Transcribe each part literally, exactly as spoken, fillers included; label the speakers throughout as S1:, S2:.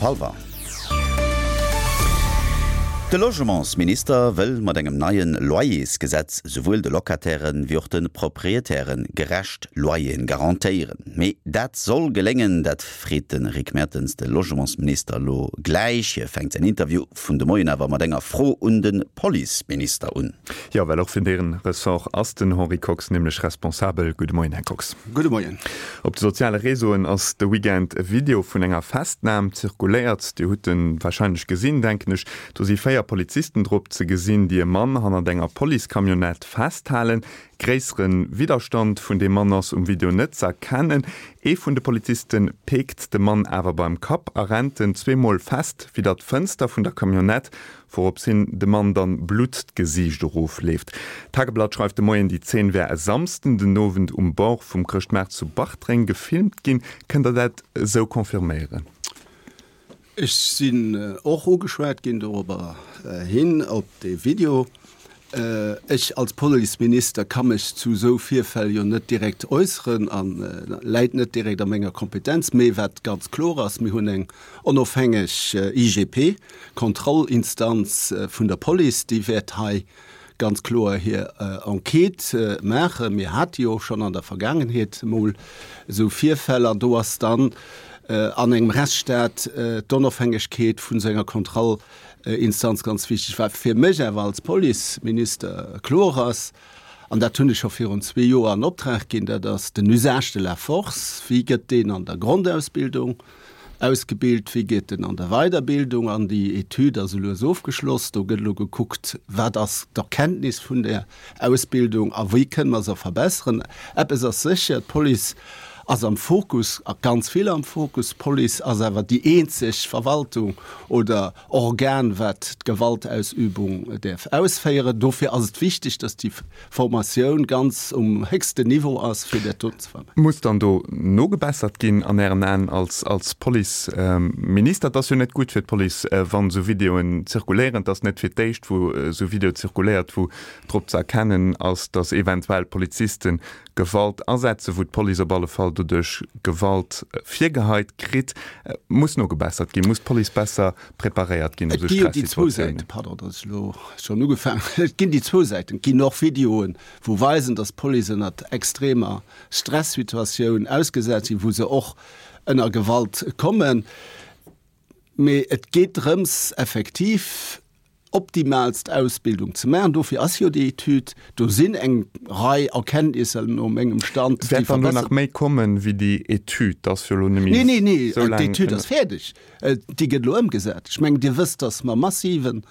S1: Hallwer. De Logementsminister wëll mat engem neie Loyersgesetz souwuel de Locatairen wéi och de Proprietäre gerecht Loyeren garantéieren. Mee dat soll geléngen? Dat freet de Rick Mertens de Logementsminister elo gläich. Hie fänkt säin Interview vun de Moien awer mat enger Fro un de Policeminister un.
S2: Jo, well och fir deen Ressort ass den Henri Kox nämlech responsabel. Gudde Moien, Här Kox.
S3: Gudde Moien.
S2: Op de soziale Réseauen ass de Weekend e Video vun enger Festnam zirkuléiert. Dir hutt en warscheinlech gesinn, denken ech. Do si véier Polizisten drop ze gesinn, déi e Mann hannert enger Policecamionnette festhalen. Gréissere Widderstand vun deem Mann ass um Video net z'erkennen. Ee vun de Poliziste peekt de Mann awer beim Kapp a rennt en zweemol fest widder d'Fënster vun der Camionnette, wourops hin de Mann dann Blutt d'Gesiicht erofleeft. D'Tageblatt schreift de Moien, déi Zeen wär e Samsden den Owend um Bord vum Chrëschtmaart zu Bartreng gefilmt ginn. Kënnt Der dat esou confirméieren?
S3: Ech sinn och ugeschwat ginn dorobber hin, op dee Video. Ech als Policeminister ka mech zu esou Virfäll jo net direkt äusseren a läit net direkt a menger Kompetenz. Mee wat ganz kloer ass, Mir hunn eng onofhängeg I G P, Kontrollinstanz vun der Police, déi wäert hei ganz kloer hir Enquête maachen. Mir hate jo och schonn an der Vergaangenheet emol esou Virfäll an do ass dann an engem Rechtsstaat d'Onofhängegkeet vun esou enger Kontrollinstanz ganz wichteg. Wat fir mech awer als Policeminister kloer ass, an dat hunn ech scho virun zwee Joer an Optrag ginn, dat ass den Usage de la force. Wéi gëtt deen an der Grondausbildung ausgebilt, wéi geet en an der Weiderbildung? An déi Etüd ass elo ofgeschloss. Do gëtt elo gekuckt, wat ass d'Erkenntnis vun där Ausbildung a wéi kënne mer se verbesseren. Eppes ass sécher, d'Police ass am Fokus, a ganz vill am Fokus. D'Police ass awer déi eenzeg Verwaltung oder Organ, wat d'Gewaltausübung däerf ausféieren. Dofir ass et wichteg, dass déi Formatioun ganz um héchsten Niveau ass, fir dat doten ze vermeiden.
S2: Muss dann do nogebessert ginn an Ären Aen als als Policeminister? Et ass jo net gutt fir d'Police, wann esou Videoen zirkuléieren. Et ass net fir d'éischt, wou esou Video zirkuléiert, wou drop ze erkennen ass, datt eventuell Poliziste Gewalt asetzen, wou d'Police op alle Fall doduerch Gewalt virgeheit kritt. Muss nogebessert ginn? Muss d'Police besser preparéiert ginn op
S3: esou Stressituatiounen? Pardon, datt ech elo schonn ugefaangen hunn. Et ginn déi zwou Säiten. Et ginn och Videoen, wou weisen, datt d'Police ënnert extremer Stressituatioun ausgesat sinn, wou se och ënner Gewalt kommen. Mee et geet drëms, effektiv optimaalst Ausbildung ze maachen. Dofir ass jo déi Etüd. Do sinn eng Rei Erkenntnisser no mengem Stand,
S2: déi Wäert dann do nach méi kommen, wéi déi Etüd? Dat ass jo elo net méi
S3: Nee, nee, nee,
S2: esou laang.
S3: d'Etüd ass fäerdeg. Déi gëtt elo ëmgesat. Ech mengen, Dir wësst, datt mer massiven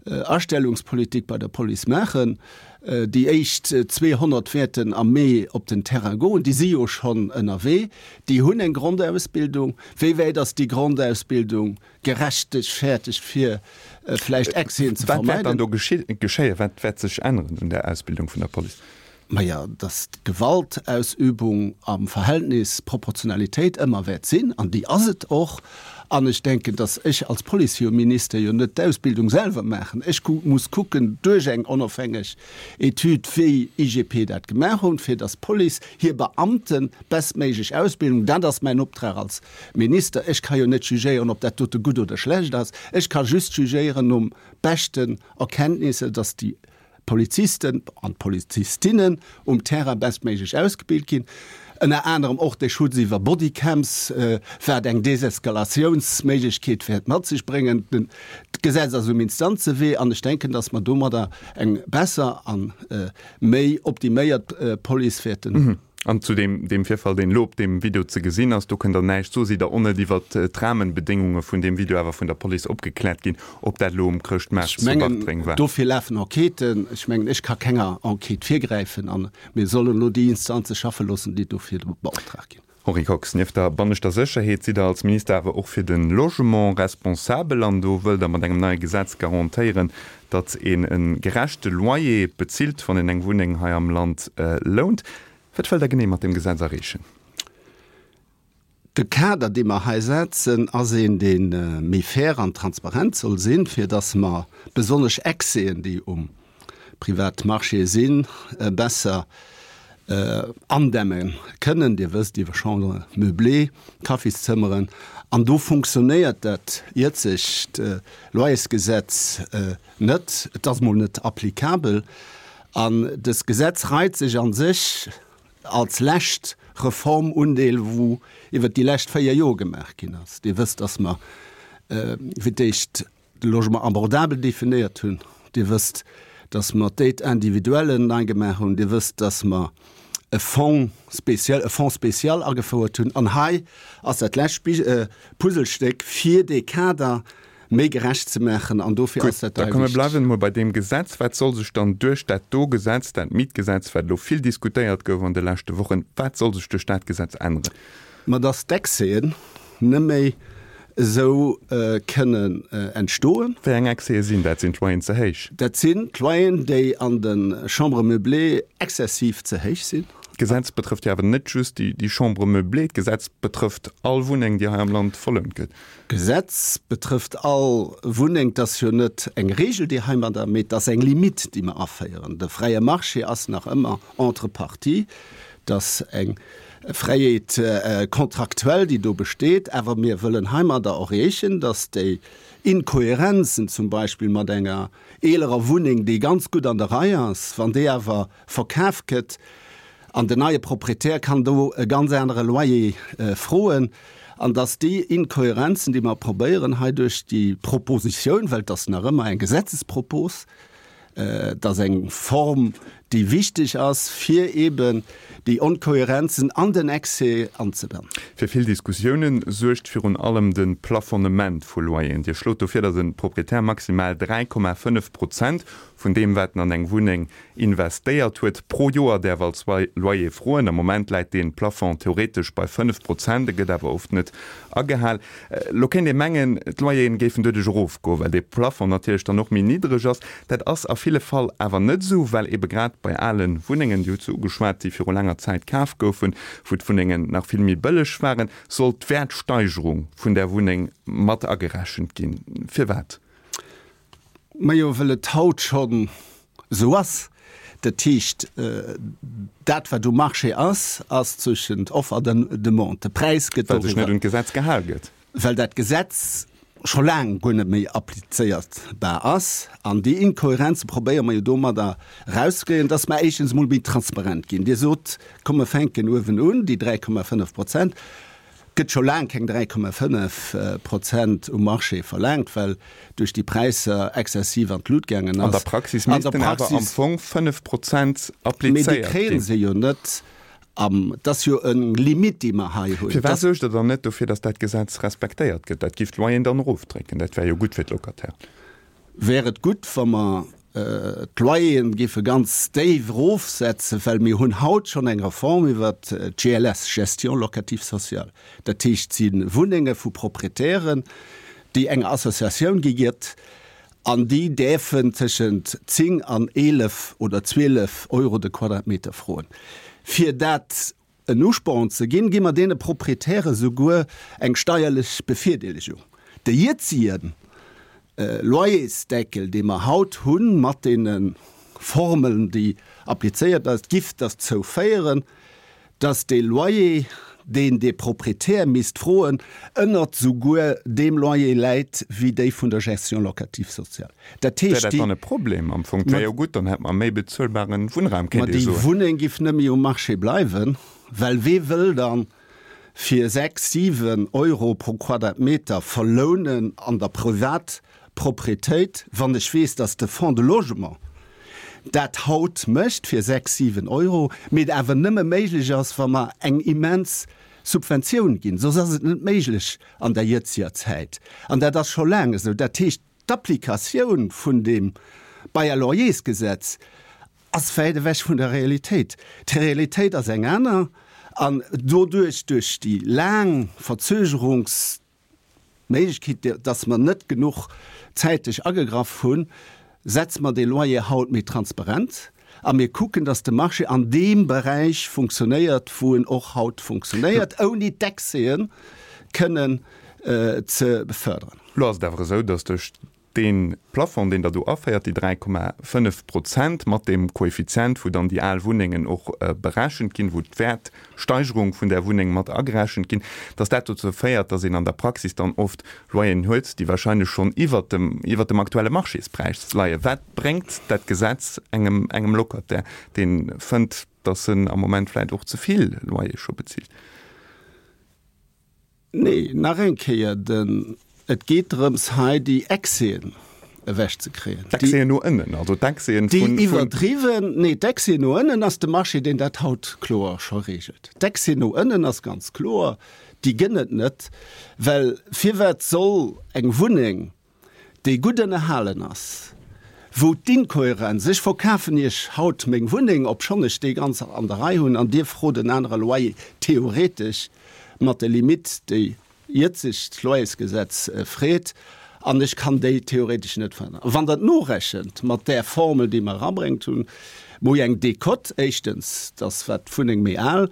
S3: Astellungspolitik bei der Police maachen. Déi éischt zweehonnert wäerten am Mee op den Terrain goen. Déi si jo schonn ënnerwee. Déi hunn eng Grondausbildung. Wéi wäit ass déi Grondausbildung gerechtfertegt, fir vläicht Excèsen ze
S2: Wat wäert dann
S3: vermeiden?
S2: do geschéien? Wat wäert sech änneren un der Ausbildung vun der Police?
S3: Maja, datt d'Gewaltausübung am Verhältnis Proportionalitéit ëmmer wäert sinn, an déi ass et och. An ech denken, datt ech als Policeminister jo net d'Ausbildung selwer maachen. Ech muss kucken, duerch eng onofhängeg Etüd, wéi I G P dat gemaach hunn, fir datt d'Police hir Beamte bestméiglech ausbildung. Dat ass mäin Optrag als Minister. Ech ka jo net jugéieren, ob dat dote gutt oder schlecht ass. Ech ka just jugéieren nom beschten Erkenntnisser, datt déi Polizisten an d'Polizistinnen um Terrain bestméiglech ausgebilt ginn. Ënner anerem och de Schutz iwwer Bodycams, wat eng Deseskalatiounsméiglechkeet wäert mat sech bréngen. D'Gesetz ass um Instanzewee an ech denken, datt mer domadder eng besser a méi optiméiert Police wäerten hunn.
S2: An zu deem deem Virfall, deen elo op deem Video ze gesinn ass, do kënnt Der näischt soen. Sidd Der och net iwwert d'Rahmenbedéngunge vun deem Video awer vun der Police opgekläert ginn, ob dat elo um Chrëschtmaart
S3: Ech
S2: zu
S3: mengen,
S2: Bartreng war?
S3: dofir lafen Enquêten. Ech mengen, ech ka kenger Enquête virgräifen a mir sollen elo déi Instanze schaffe loossen, déi dofir beoptraagt ginn.
S2: Henri Kox, Nieft der banneschter Sécherheet sidd Der als Minister awer och fir de Logement responsabel an do wëllt Der mat engem neie Gesetz garantéieren, datt een e gerechte Loyer bezilt, wann een eng Wunneng hei am Land lount. Wat wëllt Der genee mat deem Gesetz erreechen?
S3: De Kader, dee mer hei setzen, ass een, dee méi fair an transparent soll sinn, fir datt mer besonnesch Excèsen, déi um Privatmarché sinn, besser andämme kënnen. Dir wësst, iwwer Chambres meublées, Kaffiszëmmeren, an do funktionéiert dat jëtzegt Loyersgesetz net. Et ass mol net applicabel. An dëst Gesetz reit sech a sech als lescht Reformundeel, wou iwwert déi lescht véier Joer gemaach ginn ass. Dir wësst, dass mer fir d'éischt de Logement abordable definéiert hunn. Dir wësst, dass mer d'Aide individuelle nei gemaach hunn. Dir wësst, dass mer e Fonds spécial, e Fonds spécial agefouert hunn. An hei ass dat lescht Puzzlestéck, fir dee Kader méi gerecht ze maachen. An dofir ass dat
S2: hei wichteg. Da komm, mir bleiwen emol bei deem Gesetz. Wat soll sech dann duerch dat do Gesetz, dat Mietgesetz, wat elo vill diskutéiert gouf an de leschte Wochen, wat soll sech duerch dat Gesetz änneren?
S3: Ma dass d'Excèsen net méi esou kënnen entstoen.
S2: Wéi eng Excèse sinn dat? Sinn d'Loyeren ze héich?
S3: Dat sinn d'Loyeren, déi an de Chambres meublées exzessiv ze héich sinn.
S2: D'Gesetz betrëfft jo awer net just déi Chambres meublées, d'Gesetz betrëfft all Wunneng, déi hei am Land verlount gëtt.
S3: D'Gesetz betrëfft all Wunneng. Et ass jo net eng Regel, déi heimadder, mee et ass eng Limite, déi mer aféieren. De fräie Marché ass nach ëmmer entre parties. Et ass eng Fräiheet contractuelle, déi do besteet. Awer mir wëllen heimadder erreechen, dass déi Inkohärenzen, zum Beispill mat enger eelerer Wunneng, déi ganz gutt an der Rei ass, wann déi awer verkaf gëtt, An den neie Proprietär kann do e ganz anere Loyer froen. An dass déi Inkohärenzen, déi mer probéieren hei duerch déi Propositioun, well et ass nach ëmmer eng Gesetzespropos, et ass eng Form, déi wichteg ass, fir eeben déi Onkohärenzen an den Excès anzebannen.
S2: Fir vill Diskussiounen suergt virun allem de Plafonnement vu Loyeren. Dir schlot do vir, datt e Proprietär maximal dräi Komma fënnef Prozent vun deem, wat en an eng Wunneng investéiert huet, pro Joer däerf als Loyer froen. Am Moment läit dee Plafond theoretesch bei fënnef Prozent, e gëtt awer oft net agehal. Elo kéint ee mengen, d'Loyeren géifen doduerch erofgoen, well dee Plafond natierlech dann och méi niddreg ass. Dat ass a ville Fall awer net esou, well ebe grad bei ale Wunnengen, Dir hutt se ugeschwat, déi viru laanger Zäit kaf goufen, wou d'Wunnengen nach vill méi bëlleg waren, soll d'Wäertsteigerung vun där Wunneng mat agerechent ginn. Firwat?
S3: Majo, well et haut schonn esou ass. Dat heescht, dat wat um Marché ass, ass zwëschent Offre an Demande. De Präis gëtt
S2: doriwwer. Well sech net un d'Gesetz gehal gëtt.
S3: Well dat Gesetz scho laang guer net méi applizéierbar ass. An déi Inkohärenze probéiere mer jo domadder erauszekréien, dass mer éischtens emol méi transparent ginn. Dir sot, komm mer fänken uewen un, déi dräi Komma fënnef Prozent. Gëtt scho laang keng dräi Komma fënnef Prozent um Marché verlaangt, well duerch déi Präisser exzessiv an d'Lut gaangen
S2: ass. An der Praxis missten awer am Fong fënnef Prozent applizéiert
S3: ginn. Mee déi kréie se jo net. Et ass jo eng Limite, déi mer hei hunn.
S2: Firwat suergt Der dann net dofir, datt dat Gesetz respektéiert gëtt? Dat giff d'Loyeren dann erofdrécken. Dat wär jo gutt fir d'Locataire.
S3: Wär et gutt, wa mer d'Loyeren géife ganz déif erofsetzen, well mir hunn haut schonn eng Reform iwwert d'G L S, Gestion locative sociale. Dat heescht, et si Wunnenge vu Proprietären, déi enger Associatioun gi gëtt, an déi däerfen tëschent zéng an eelef oder zwielef Euro de Quadratmeter froen. Fir dat en Usporn ze ginn, gi mer deene Proprietäre souguer eng steierlech Bevirdeelegung. De jëtzige Loyersdeckel, dee mer haut hunn, mat deene Formeln, déi applizéiert ass, giff derzou féieren, dass dee Loyer, deen dee Proprietär misst froen, ënnert souguer deem Loyer läit wéi déi vun der Gestion locative sociale.
S2: Dat heescht, déi. Wär dat dann e Problem am Fong? Wär jo gutt, dann hätt mer méi bezuelbaren Wunnraum,
S3: kéint ee soen. Ma déi Wunneng giff net méi um Marché bleiwen, well wee wëll dann fir sechs, siwen Euro pro Quadratmeter verlounen an der Privatproprietéit, wann ech weess, dass de Fonds de Logement dat haut mécht fir sechs, siwen Euro, mee et awer nëmme méiglech ass, wa mer eng immens Subventioun ginn, soss ass et net méiglech an der jëtziger Zäit. An dat ass scho laang esou. Dat heescht, d'Applikatioun vun deem Bail-à-loyers-Gesetz ass wäit ewech vun der Realitéit. D'Realitéit ass eng aner an doduerch, duerch déi laang Verzögerungsméiglechkeet, dass mer net genuch zäiteg agegraff hunn, setze mer dee Loyer haut méi transparent a mir kucken, dass de Marché an deem Beräich funktionéiert, wou en och haut funktionéiert, ouni d'Excèsen kënnen ze beförderen.
S2: Lo ass et awer esou, dass duerch dee Plafond, deen Der do aféiert, déi dräi Komma fënnef Prozent mat deem Koeffizient, wou dann déi al Wunnengen och berechent ginn, wou d'Wäertsteigerung vun där Wunneng mat agerechent ginn, dass dat dozou féiert, dass een an der Praxis dann oft Loyeren huet, déi wahrscheinlech schonn iwwert dem, iwwert dem aktuelle Marchéspräis leien. Wat bréngt dat Gesetz engem, engem Locataire, dee fënnt, dass en am Moment vläicht och ze vill Loyer scho bezilt?
S3: Nee, nach eng Kéier, den, et geet drëms hei déi Excèsen ewechzekréien.
S2: D'Excèsen no ënnen, also d'Excèsen
S3: vun. Déi iwwerdriwwen, nee, d'Excèsen no ënnen ass de Marché, deen dat haut kloer scho regelt. D'Excèsen no ënnen ass ganz kloer, déi gënn et net, well firwat soll eng Wunneng, déi gutt ënnerhalen ass, wou d'Inkohärenz, ech verkafen Iech haut meng Wunneng, obschonn ech déi ganz an der Rei hunn, an Dir frot en anere Loyer, theoretesch mat der Limite, déi jëtzegt Loyersgesetz freet, an ech kann déi theoretesch net veränneren. A wann Der et norechent mat där Formel, déi mer erabréngt hunn, wou eng Décote, éischtens, dass wat d'Wunneng méi al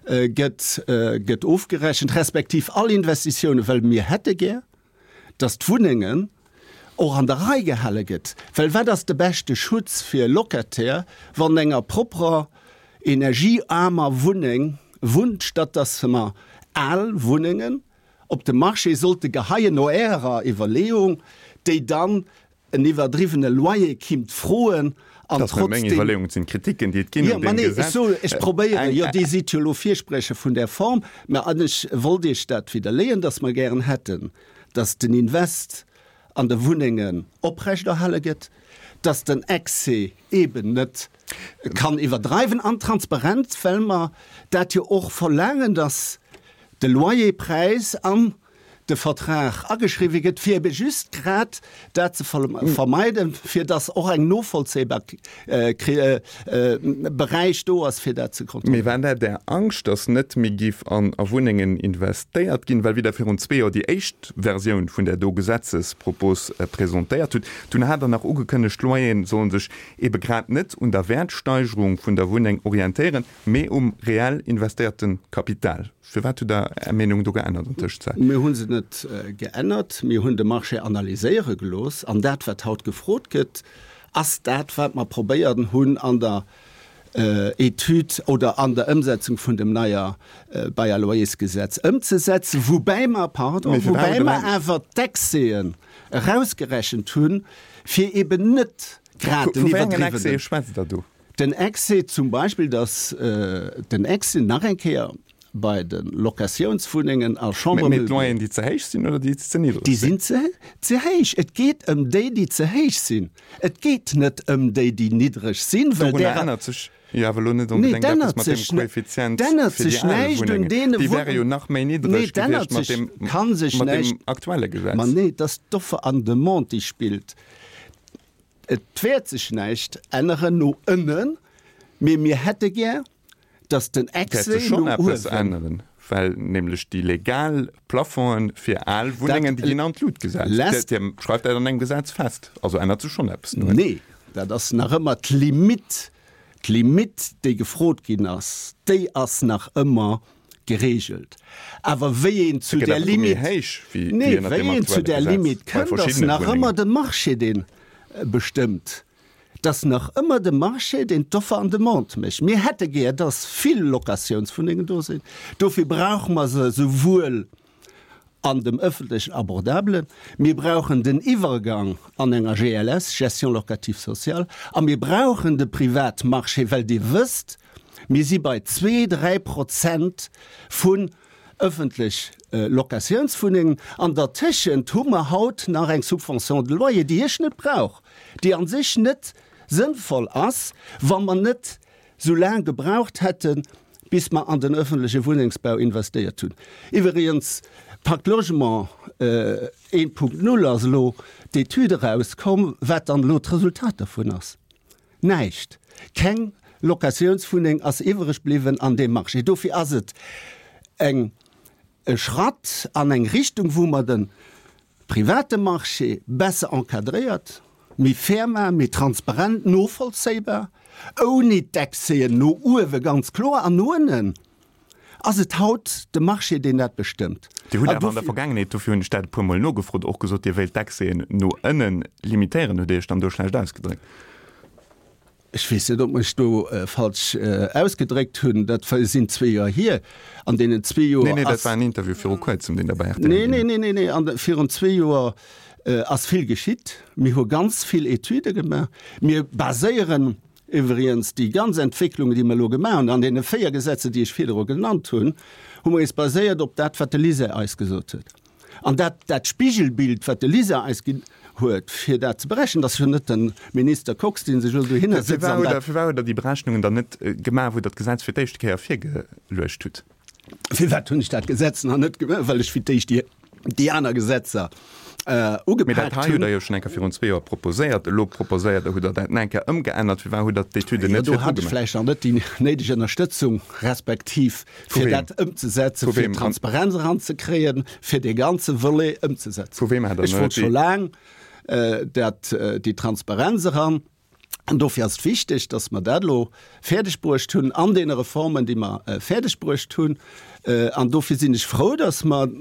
S3: gëtt, gëtt ofgerechent, respektiv all Investitiounen, well mir hätte gär, dass d'Wunnengen och an der Rei gehale gëtt, well wat ass de beschte Schutz fir e Locataire, wann enger propperer, energieaarmer Wunneng wunnt, statt dass mer al Wunnengen op de Marché sollte geheien, no Ärer Iwwerleeung, déi dann en iwwerdriwwene Loyer kinnt froen
S2: an Dat ass net meng trotzdem. Iwwerleeung, et sinn d'Kritiken, déi et ginn
S3: Jo,
S2: un
S3: ma
S2: deem
S3: nee, ech
S2: Gesetz.
S3: soen, ech probéieren,
S2: Eng,
S3: jo, Dir sidd jo elo Virsprecher vun där Form, mä an ech wollt Iech dat widderleeën, dass mer gären hätten, dass den Invest an de Wunnengen oprechterhale gëtt, dass den Excès eeben net kann iwwerdreiwen an transparent, well mer dat jo och verlaangen, dass de Loyerpräis an de Vertrag ageschriwwe gëtt, fir ebe just grad dat ze vermeiden, fir dass och eng novollzéibar Beräich do ass, fir dat ze
S2: Mee
S3: kontrolléieren.
S2: war dat Är Angscht, dass net méi giff an a Wunnengen investéiert ginn? Well wéi Der virun zwee Joer déi éischt Versioun vun där do Gesetzespropos presentéiert hutt, dunn hat Der nach ugekënnegt, d'Loyeren sollen sech ebe grad net un der Wäertsteigerung vun der Wunneng orientéieren, mee um reell investéierte Kapital. Firwat hutt Der Är Meenung do geännert an Tëschenzäit?
S3: Mir hu se net geännert. Mir hunn de Marché analyséiere gelooss. An dat, wat haut gefrot gëtt, ass dat, wat mer probéiert hunn an der Etüd oder an der Ëmsetzung vun dem neier Bail à loyers-Gesetz ëmzesetzen, woubäi mer, pardon,
S2: Mee firwat
S3: woubäi
S2: hutt Der
S3: mer
S2: dann.
S3: awer d'Excèsen erausgerechent hunn, fir eben net grad den
S2: Vu wéi engen
S3: iwwerdriwwenen.
S2: Excèse schwätzt Der do?
S3: Den Excès zum Beispill, dass den Excès nach eng Kéier bei de Locatiounswunnengen a Chambres
S2: Mee
S3: meublées.
S2: d'Loyeren, déi ze héich sinn oder déi ze niddreg
S3: Déi
S2: sinn?
S3: sinn ze héich. Et geet ëm déi, déi ze héich sinn. Et geet net ëm déi, déi niddreg sinn, well
S2: Dorunner
S3: därer.
S2: ännert sech jo awer elo net
S3: Nee,
S2: onbedéngt
S3: et
S2: eppes
S3: ännert
S2: mat dem
S3: sech net.
S2: Koeffizient
S3: Et ännert
S2: fir déi
S3: sech
S2: al
S3: näischt un
S2: Wunnengen.
S3: deene
S2: Déi wäre
S3: Wunn.
S2: jo nach méi
S3: Nee,
S2: niddreg
S3: et ännert
S2: gewiescht mat
S3: sech,
S2: deem,
S3: ka sech
S2: mat deem
S3: näischt.
S2: aktuelle
S3: Ma
S2: Gesetz.
S3: nee, et ass d'Offer an Demande, déi spillt. Et wäert sech näischt änneren no ënnen, mee mir hätte gär, dass den
S2: Wäert sech
S3: Excès
S2: schonn
S3: no
S2: eppes
S3: uewen.
S2: änneren, well nämlech déi legal Plafonge fir al
S3: Dat
S2: Wunnengen, déi ginn an d'Lut gesat.
S3: lässt.
S2: Dir schreift dat an engem Gesetz fest. Also ännert sech schonn eppes no ënnen.
S3: Nee, dat ass nach ëmmer d'Limite, d'Limite, déi gefrot ginn ass, déi ass nach ëmmer geregelt. Awer wéi een
S2: Se
S3: zu
S2: gëtt
S3: där
S2: awer do méi
S3: Limite,
S2: héich wéi wéi
S3: nee,
S2: ënnert
S3: wéi
S2: deem
S3: een zu
S2: aktuelle
S3: där
S2: Gesetz
S3: Limite
S2: bei
S3: kënnt, ass
S2: verschiddene
S3: nach ëmmer
S2: Wunnengen.
S3: de Marché, deen bestëmmt. Et ass nach ëmmer de Marché, deen d'Offer an Demande mécht. Mir hätte gär, dass vill Locatiounswunnengen do sinn. Dofir brauche mer se souwuel an dem ëffentlechen Abordabelen, mir brauchen den Iwwergang an enger G L S, Gestion locative sociale, a mir brauchen de Privatmarché, well Dir wësst, mir si bei zwee, dräi Prozent vun ëffentlech Locatiounswunnengen. An dertëschent hu mer haut nach eng Subvention de loyer, déi ech net brauch, déi a sech net sënnvoll ass, wa mer net sou laang gebraucht hätten, bis mer an den öffentleche Wunnengsbau investéiert hunn. Iwwregens, Pacte Logement eent Punkt null ass elo d'Etüd erauskomm, wat dann elo d'Resultat dervun ass. Näischt. Keng Locatiounswunneng ass iwwereg bliwwen an deem Marché. Dofir ass et eng e Schratt an eng Richtung, wou mer de private Marché besser encadréiert, méi fair maachen, méi transparent, novollzéibar, ouni d'Excèsen no uewe ganz kloer an no ënnen ass et haut de Marché, deen dat bestëmmt.
S2: Dir hutt awer an der Vergaangenheet, dofir hunn ech dat e puermol nogefrot, och gesot, Dir wéilt d'Accèsen no ënnen limitéieren. Hutt Dir Iech dann do schlecht ausgedréckt?
S3: Ech weess net, ob mech do falsch ausgedréckt hunn. Dat sinn zwee Joer hier. An deenen zwee Joer
S2: ass. Nee, nee, dat war en Interview viru Kuerzem, deen Der bei rtl
S3: ginn hutt. Nee, nee, nee, nee, an virun zwee Joer ass vill geschitt. Mir hu ganz vill Etüde gemaach. Mir baséieren iwwregens déi ganz Entwécklungen, déi mer elo gemaach hunn, an deene véier Gesetze, déi ech virdru genannt hunn, hu mer eis baséiert op dat, wat de LISER eis gesot huet. An dat, dat Spigelbild, wat de LISER eis ginn huet, fir dat ze berechnen, dat ass jo net de Minister Kox, dee sech elo dohinner sëtzt an dat.
S2: Firwat hutt Der déi Berechnungen dann net gemaach, wou Der d'Gesetz fir d'éischte Kéier virgeluecht hutt?
S3: Firwat hunn ech dat Gesetz nach net gemaach? Well ech fir d'éischt déi, déi aner Gesetzer
S2: ugepaakt
S3: hunn.
S2: Mee dat hei hutt Der jo schonn eng Kéier virun zwee Joer proposéiert. Elo proposéiert Der, hutt Der dat nach eng Kéier ëmgeännert. Firwat hutt Der d'Etüden
S3: Jo,
S2: net
S3: do
S2: virdru
S3: hat ech
S2: gemaach?
S3: vläicht nach net déi néideg Ënnerstëtzung, respektiv
S2: Vu
S3: fir
S2: weem?
S3: dat ëmzesetzen,
S2: Vu
S3: fir
S2: weem?
S3: Transparenz eranzekréien, fir dee ganze Volet ëmzesetzen.
S2: Vu weem hat Der
S3: Ech
S2: net
S3: wollt scho
S2: déi.
S3: laang dat, déi Transparenz eran. An dofir ass et wichteg, dass mer dat elo fäerdeg bruecht hunn an deene Reformen, déi mer fäerdeg bruecht hunn. An dofir sinn ech frou, dass mer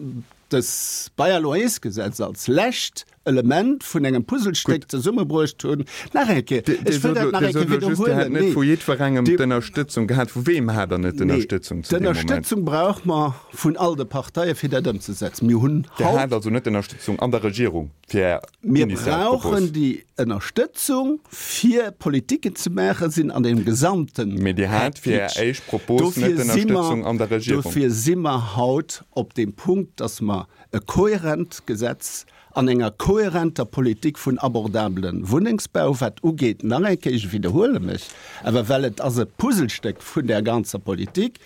S3: dës Bail-à-loyers-Gesetz als lescht Element vun engem Puzzlestéck zesummebruecht hunn. Nach eng Kéier, ech wëll dat nach eng Kéier widderhuelen,
S2: Dir sot elo just, Dir hätt net vu jiddwerengem d'Ënnerstëtzung gehat. Vu weem hat Der net d'Ënnerstëtzung zu deem Moment?
S3: D'Ënnerstëtzung brauche mer vun all de Parteien, fir dat ëmzesetzen. Mir hunn
S2: Dir
S3: haut.
S2: hat also net d'Ënnerstëtzung an der Regierung fir Är
S3: Mir
S2: initial Propos?
S3: brauchen déi Ënnerstëtzung, fir Politiken ze maachen, sinn an deem gesamte
S2: Mee Dir hat fir Är
S3: Package.
S2: éischt Propos net
S3: Dofir si mer,
S2: d'Ënnerstëtzung an der Regierung.
S3: dofir si mer haut op deem Punkt, dass mer e kohärent Gesetz an enger kohärenter Politik vun abordabele Wunnengsbau, wat ugeet, nach eng Kéier, ech widderhuele mech, awer well et ass e Puzzlestéck vun där ganzer Politik,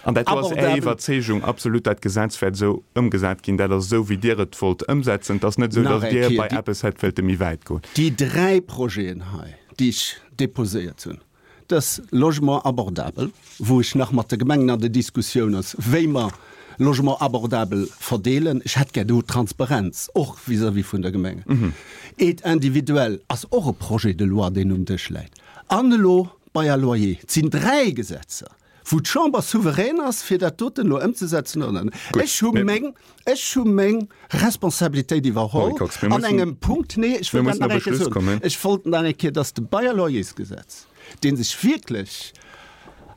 S2: An dat do ass Är
S3: abordabel.
S2: Iwwerzeegung absolut, dat Gesetz wäert esou ëmgesat ginn, dat ass esou, wéi Dir et wollt ëmsetzen. Et ass net esou,
S3: Nach
S2: datt
S3: eng
S2: Dir
S3: Kéier,
S2: bei
S3: déi,
S2: eppes hätt wëlte méi wäit goen.
S3: déi dräi Projeten hei, déi ech déposéiert hunn, Dës Logement abordable, wou ech nach mat de Gemengen an der Diskussioun ass, wéi mer Logement abordable verdeelen, ech hätt gär do Transparenz, och vis-à-vis vun der Gemengen. Aide individuelle ass och e Projet de loi, deen um Dësch läit. An elo Bail à loyer. Et sinn dräi Gesetzer, wou d'Chamber souverän ass, fir dat doten elo ëmzesetzen oder net. Ech hu meng, ech hu meng Responsabilitéit iwwerholl an engem Punkt. Nee, ech wëll dat nach eng Kéier soen. Ech wollt nach eng Kéier, dass de Bail à loyers-Gesetz, dee sech wierklech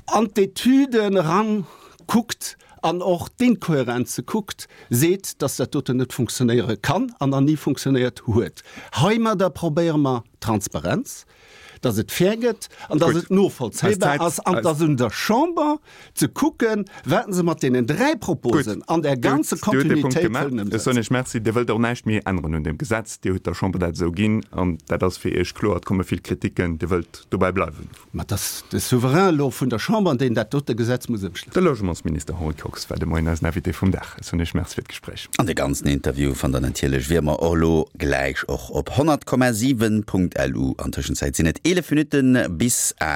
S3: an d'Etüden erankuckt an och d'Inkohärenze kuckt, seet, dass dat doten net funktionéiere kann an nach ni funktionéiert huet. Heimadder probéiere mer Transparenz, dass et fair gëtt an dass et novollzéibar ass an dass un der Chamber ze kucken, wat se mat deenen dräi Proposen an der ganzer Kontinuitéit wëllen
S2: ëmsetzen. Ech soen Iech Merci. Dir wëllt och näischt méi änneren un deem Gesetz. Dir hutt der Chamber dat esou ginn an dat ass fir Iech kloer. Et komme vill Kriticken. Dir wëllt dobäi bleiwen.
S3: Mä et ass de Souverain elo vun der Chamber, deen dat dote Gesetz muss ëmstëmmen.
S2: De Logementsminister Henri Kox war de Moien eisen Invité vum Dag. Ech soen Iech Merci fir d'Gespréich.
S1: An de ganzen Interview fannt der natierlech wéi ëmmer och elo gläich och op honnert Komma siwen Punkt lu. An Tëschenzäit sinn et eelef Minutten bis aacht.